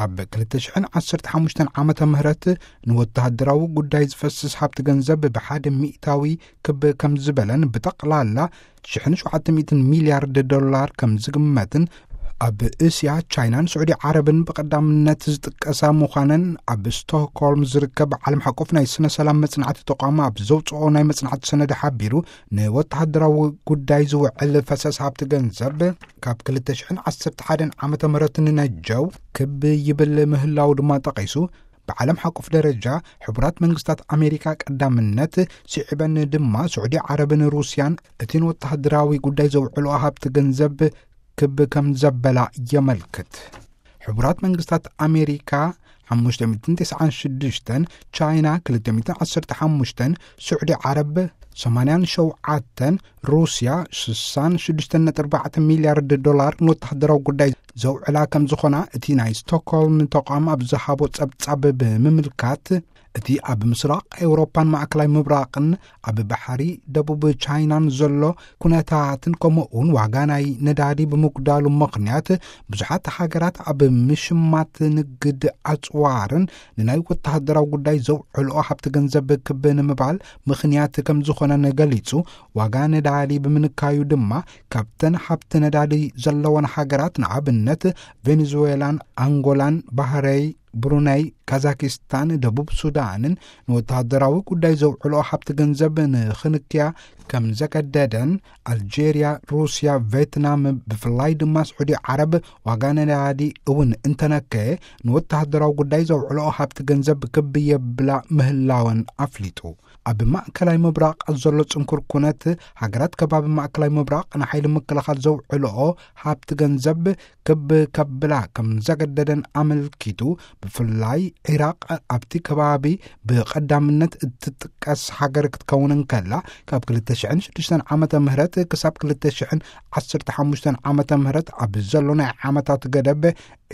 ኣብ ክልተ ሽሕን ዓሰርተ ሓሙሽተን ዓመተ ምህረት ንወተሃደራዊ ጉዳይ ዝፈስስ ሃብቲ ገንዘብ ብሓደ ሚእታዊ ክብ ከም ዝበለን ብጠቕላላ ሽሕን ሸውዓተ ሚእትን ሚልያርድ ዶላር ከም ዝግመትን፣ ኣብ እስያ፣ ቻይናን ስዑዲ ዓረብን ብቐዳምነት ዝጥቀሳ ምዃነን ኣብ ስቶክሆልም ዝርከብ ዓለም ሓቆፍ ናይ ስነ ሰላም መጽናዕቲ ተቋም ኣብ ዘውጽኦ ናይ መጽናዕቲ ሰነድ ሓቢሩ፣ ንወተሃደራዊ ጉዳይ ዝውዕል ፈሰስ ሃብቲ ገንዘብ ካብ ክልተ ሽሕን ዓሰርተ ሓደን ዓመተ ምህረት ንነጀው ክብ ይብል ምህላው ድማ ጠቒሱ፣ ብዓለም ሓቆፍ ደረጃ ሕቡራት መንግስታት ኣሜሪካ ቀዳምነት፣ ስዒበን ድማ ስዑዲ ዓረብን ሩስያን እቲ ንወተሃደራዊ ጉዳይ ዘውዕልኦ ሃብቲ ገንዘብ ክብ ከም ዘበላ የመልክት። ሕቡራት መንግስታት ኣሜሪካ ሓሙሽተ ሚእትን ተስዓን ሽዱሽተን፣ ቻይና ክልተ ሚእትን ዓሰርተ ሓሙሽተን፣ ስዑዲ ዓረብ ሰማንያን ሸውዓተን፣ ሩስያ ሽሳን ሽዱሽተን ነጥቢ ኣርባዕተ ሚልያርድ ዶላር ንወተሃደራዊ ጉዳይ ዘውዕላ ከም ዝኾና እቲ ናይ ስቶክሆልም ተቋም ኣብ ዝሃቦ ጸብጻብ ብምምልካት፣ እቲ ኣብ ምስራቕ ኤውሮፓን ማእከላይ ምብራቕን ኣብ ባሕሪ ደቡብ ቻይናን ዘሎ ኩነታትን ከምኡ እውን ዋጋ ናይ ነዳዲ ብምጉዳሉ ምኽንያት ብዙሓት ሃገራት ኣብ ምሽማት ንግድ ኣጽዋርን ንናይ ወተሃደራዊ ጉዳይ ዘውዕልኦ ሃብቲ ገንዘብ ክብ ንምባል ምኽንያት ከም ዝኾነን ገሊጹ። ዋጋ ነዳዲ ብምንካዩ ድማ ካብተን ሃብቲ ነዳዲ ዘለወን ሃገራት ንኣብነት ቬኔዙዌላን ኣንጎላን ባህረይ ብሩነይ፣ ካዛኪስታን፣ ደቡብ ሱዳንን ንወተሃደራዊ ጉዳይ ዘውዕልኦ ሃብቲ ገንዘብ ንኽንክያ ከም ዘገደደን፣ ኣልጄርያ፣ ሩስያ፣ ቬትናም፣ ብፍላይ ድማ ስዑዲ ዓረብ ዋጋ ነዳዲ እውን እንተነከየ ንወተሃደራዊ ጉዳይ ዘውዕልኦ ሃብቲ ገንዘብ ክብ የብላ ምህላወን ኣፍሊጡ። ኣብ ማእከላይ ምብራቕ ዘሎ ጽንኩር ኩነት፣ ሃገራት ከባቢ ማእከላይ ምብራቕ ንሓይሊ ምክልኻል ዘውዕልኦ ሃብቲ ገንዘብ ክብ ከብላ ከም ዘገደደን ኣመልኪቱ፣ ብፍላይ ዒራቕ ኣብቲ ከባቢ ብቐዳምነት እትጥቀስ ሃገር ክትከውን እንከላ፣ ካብ ክልተ ሽሕን ሽዱሽተን ዓመተ ምህረት ክሳብ ክልተ ሽሕን ዓሰርተ ሓሙሽተን ዓመተ ምህረት ኣብ ዘሎ ናይ ዓመታት ገደብ፣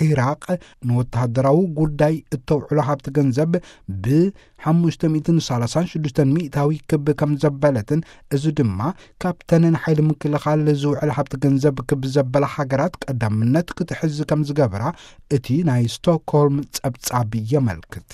ዒራቕ ንወተሃደራዊ ጉዳይ እተውዕሎ ሃብቲ ገንዘብ ብ ሓሙሽተ ሚእትን ሰላሳን ሽዱሽተን ሚእታዊ ክብ ከም ዘበለትን፣ እዚ ድማ ካብተን ንሓይሊ ምክልኻል ዝውዕል ሃብቲ ገንዘብ ክብ ዘበላ ሃገራት ቀዳምነት ክትሕዝ ከም ዝገብራ እቲ ናይ ስቶክሆልም ጸብጻብ የመልክት።